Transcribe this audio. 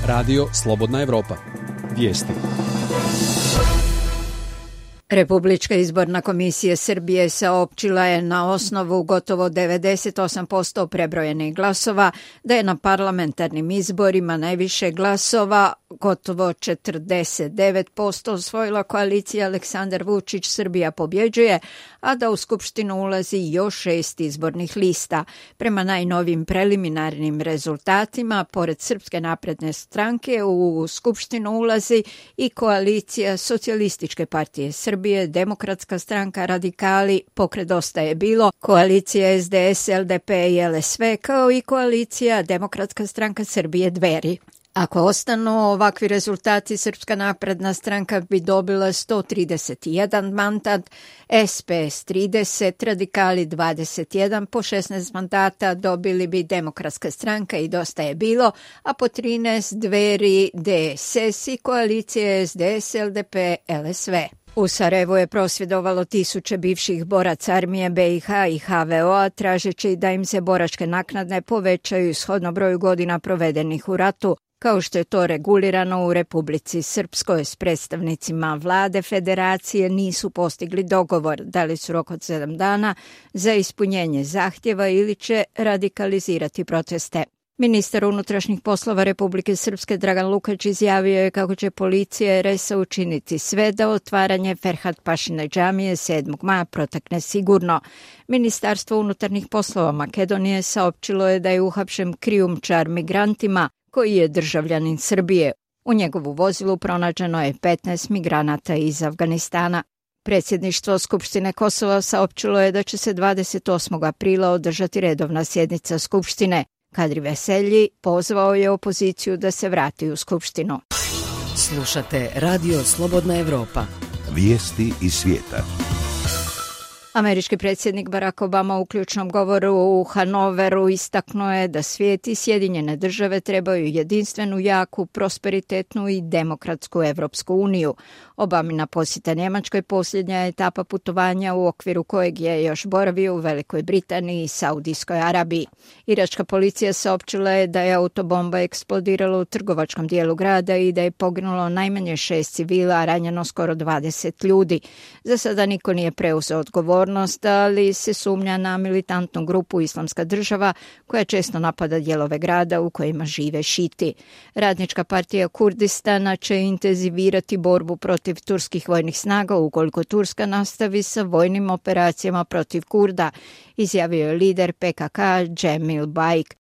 Radio Slobodna Evropa. Vijesti. Republička izborna komisija Srbije saopćila je na osnovu gotovo 98% prebrojenih glasova da je na parlamentarnim izborima najviše glasova, gotovo 49% osvojila koalicija Aleksandar Vučić Srbija pobjeđuje, a da u Skupštinu ulazi još 6 izbornih lista. Prema najnovim preliminarnim rezultatima, pored Srpske napredne stranke, u Skupštinu ulazi i koalicija Socijalističke partije Srbije, Demokratska stranka, Radikali, Pokret Dosta je bilo, koalicija SDS, LDP i LSV, kao i koalicija Demokratska stranka Srbije Dveri. Ako ostanu ovakvi rezultati, Srpska napredna stranka bi dobila 131 mandat, SPS 30, Radikali 21, po 16 mandata dobili bi Demokratska stranka i Dosta je bilo, a po 13 Dveri, DSS i koalicije SDS, LDP, LSV. U Sarajevu je prosvjedovalo tisuće bivših boraca armije BiH i HVO-a tražeći da im se boračke naknade povećaju shodno broju godina provedenih u ratu, kao što je to regulirano u Republici Srpskoj. S predstavnicima vlade federacije nisu postigli dogovor, dali su rok od 7 dana za ispunjenje zahtjeva ili će radikalizirati proteste. Ministar unutrašnjih poslova Republike Srpske Dragan Lukač izjavio je kako će policija RS učiniti sve da otvaranje Ferhat Pašine džamije 7. maja protekne sigurno. Ministarstvo unutarnjih poslova Makedonije saopćilo je da je uhapšen krijumčar migrantima koji je državljanin Srbije. U njegovu vozilu pronađeno je 15 migranata iz Afganistana. Predsjedništvo Skupštine Kosova saopćilo je da će se 28. aprila održati redovna sjednica Skupštine. Kadri Veselji pozvao je opoziciju da se vrati u Skupštinu. Slušate Radio Slobodna Evropa. Vijesti iz svijeta. Američki predsjednik Barack Obama u ključnom govoru u Hanoveru istaknuo je da svijet i Sjedinjene države trebaju jedinstvenu, jaku, prosperitetnu i demokratsku Evropsku uniju. Obamina posjeta Njemačkoj posljednja etapa putovanja u okviru kojeg je još boravio u Velikoj Britaniji i Saudijskoj Arabiji. Iračka policija saopćila je da je autobomba eksplodirala u trgovačkom dijelu grada i da je poginulo najmanje 6 civila, a ranjeno skoro 20 ljudi. Za sada niko nije preuzeo odgovornost, ali se sumnja na militantnu grupu Islamska država koja često napada dijelove grada u kojima žive šiti. Radnička partija Kurdistana će intenzivirati borbu protiv turskih vojnih snaga ukoliko Turska nastavi sa vojnim operacijama protiv Kurda, izjavio je lider PKK Cemil Bayik.